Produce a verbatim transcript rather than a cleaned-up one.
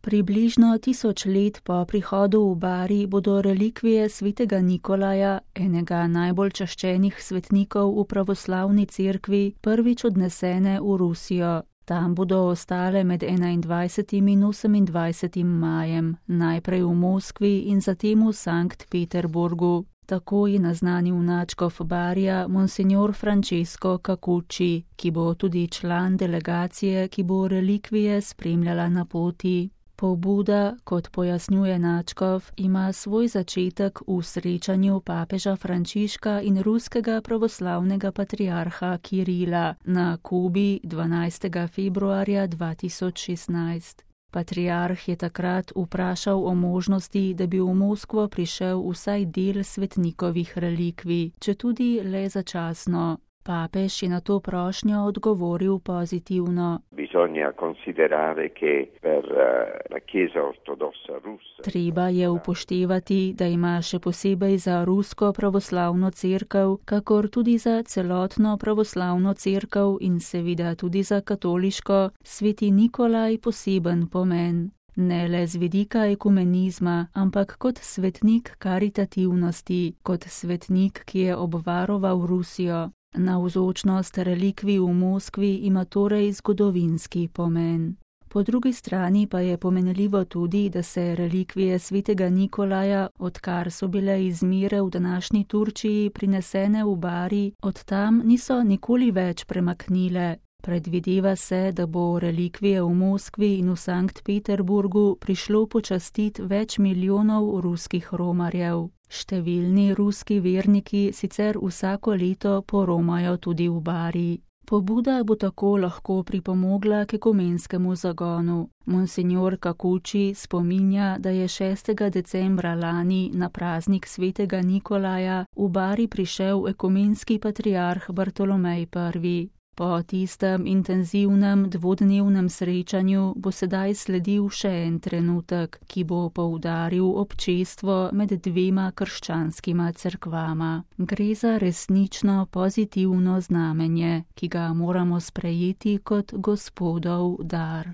Približno tisoč let po prihodu v Bari bodo relikvije svetega Nikolaja, enega najbolj čaščenih svetnikov v pravoslavni cerkvi, prvič odnesene v Rusijo. Tam bodo ostale med enaindvajsetim in osemindvajsetim majem, najprej v Moskvi in zatem v Sankt Peterburgu. Tako je naznanil nadškof Barija monsignor Francesco Cacucci, ki bo tudi član delegacije, ki bo relikvije spremljala na poti. Pobuda, kot pojasnjuje nadškof, ima svoj začetek v srečanju papeža Frančiška in ruskega pravoslavnega patriarha Kirila na Kubi dvanajstega februarja dva tisoč šestnajst. Patriarh je takrat vprašal o možnosti, da bi v Moskvo prišel vsaj del svetnikovih relikvij, četudi le začasno. Papež je na to prošnjo odgovoril pozitivno. Treba je upoštevati, da ima še posebej za rusko pravoslavno cerkev, kakor tudi za celotno pravoslavno cerkev in seveda tudi za katoliško, sveti Nikolaj poseben pomen. Ne le z vidika ekumenizma, ampak kot svetnik karitativnosti, kot svetnik, ki je obvaroval Rusijo. Navzočnost relikvij v Moskvi ima torej zgodovinski pomen. Po drugi strani pa je pomenljivo tudi, da se relikvije svetega Nikolaja, odkar so bile iz Mire v današnji Turčiji prinesene v Bari, od tam niso nikoli več premaknile. Predvideva se, da bo relikvije v Moskvi in v Sankt Peterburgu prišlo počastiti več milijonov ruskih romarjev. Številni ruski verniki sicer vsako leto poromajo tudi v Bari. Pobuda bo tako lahko pripomogla k ekumenskemu zagonu. Monsignor Cacucci spominja, da je šestega decembra lani na praznik svetega Nikolaja v Bari prišel ekumenski patriarh Bartolomej prvi. Po tistem intenzivnem dvodnevnem srečanju bo sedaj sledil še en trenutek, ki bo poudaril občestvo med dvema krščanskima cerkvama. Gre za resnično pozitivno znamenje, ki ga moramo sprejeti kot Gospodov dar.